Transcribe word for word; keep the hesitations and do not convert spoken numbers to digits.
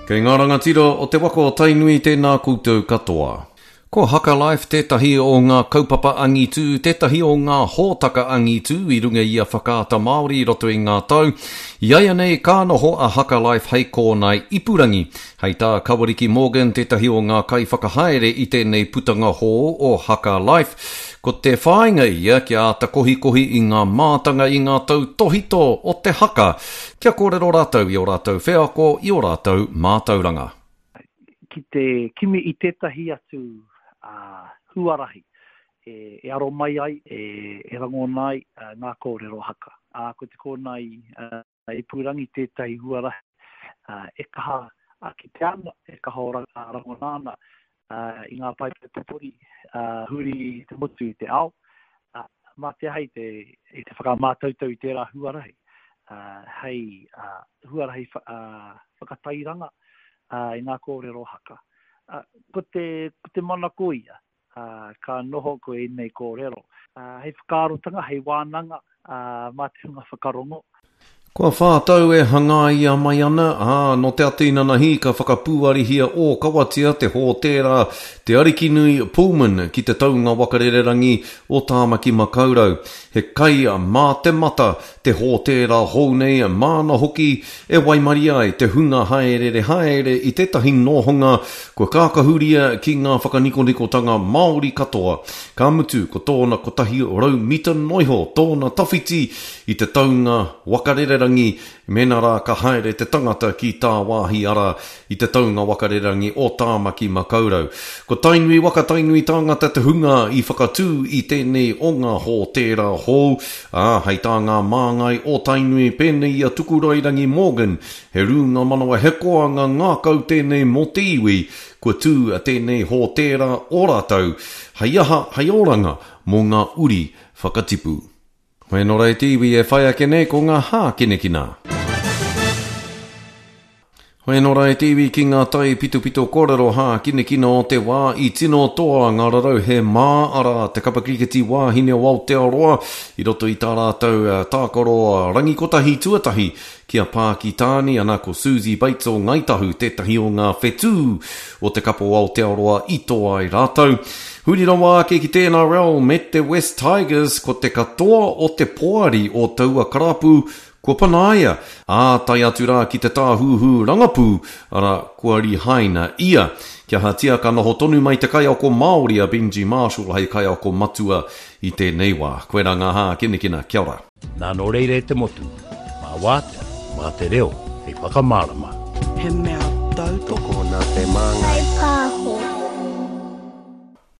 Kei ngā rangatira o te waka o Tainui tēnā koutou katoa. Ko Haka Life tētahi o ngā kaupapa angitū, tētahi o ngā hōtaka angitū i runga i a Whakaata Māori i roto i ngā tau. I aia nei ka noho a Haka Life hei kōnae ipurangi. Hei tā Kawariki Morgan tētahi o ngā kaiwhakahaere i tēnei putanga hou o Haka Life. Ko te whāinga ia kia āta kohikohi i ngā mātanga i ngā tautohito o te haka, kia kōrero rātou i ō rātou wheako, i ō rātou mātauranga. Ki te kimi i tētahi atu uh, huarahi e, e aro mai ai, e, e rangona ai uh, ngā kōrero haka. Uh, ko te kōnae uh, ipurangi tētahi huarahi uh, e kaha uh, ki te ana, e kaha o rangona ana uh, i ngā paepae pupuri uh, huri i te motu i te ao. Uh, mā te aha i te, i te whakamātautau i tērā huarahi, uh, hei uh, huarahi wha, uh, whakatairanga uh, i ngā kōrero haka. Uh, ko te, ko te manako ia, uh, ka noho ko ēnei kōrero. Uh, hei whakaarotanga, hei wānanga, uh, mā te hunga whakarongo. Kua whā tau e hangaia mai ana, ā, nō te ata inanahi ka whakapūarihia ōkawatia te hōtēra Te Arikinui Pullman ki te taunga wakarererangi o Tāmaki Makaurau. He kai mā te mata te hōtēra hou nei, māna hoki e waimarie ai te hunga haerere haere i tētahi nohonga kua kākahuria ki ngā whakanikonikotanga Māori katoa. Ka mutu ko tōna kotahi rau mita noiho tōna tawhiti i te taunga wakarererangi, mēnā rā ka haere te tangata ki tāwāhi ara i te taunga wakarererangi o Tāmaki Makaurau. Ko Tainui waka Tainui tāngata te hunga i whakatū i tēnei o ngā hōtēra hou, ā, hei tā ngā māngai o Tainui pēnei i a Tukurairangi Morgan, he rūnga manawa he koanga ngākau tēnei mō te iwi, kua tū tēnei hōtēra o rātou, hei aha, hei oranga mō ngā uri whakatipu. Hoi nō rei te iwi e whai ake nei ko ngā hākinakina. Hoi nō rei te iwi ki ngā tai pitopito kōrero hākinakina o te wā i tino toa ngā rarauhe mā arā te kapa kiriketi wāhine o Aotearoa i roto i tā rātou tākaro rangi kotahi tuatahi ki a Pākitāni, ana ko Suzie Bates o Ngāi Tahu tētahi o ngā whetū o te kapa o Aotearoa i toa ai rātou. Huri rawa ake ki te N R L me te West Tigers, ko te katoa o te poari o taua karapu kua panaia, ā, tae atu rā ki te tāhuhu rangapū, arā, kua rihaina ia. Kia ahatia ka noho tonu mai te kaiako Māori a Benji Marshall hei kaiako matua i tēnei wā. Koirā ngā hākinakina, kia ora. Nā nō reira e te motu, mā wātea, mā te reo, hei whakamārama. He mea tautoko. Tokona te māngai. Whai pāho.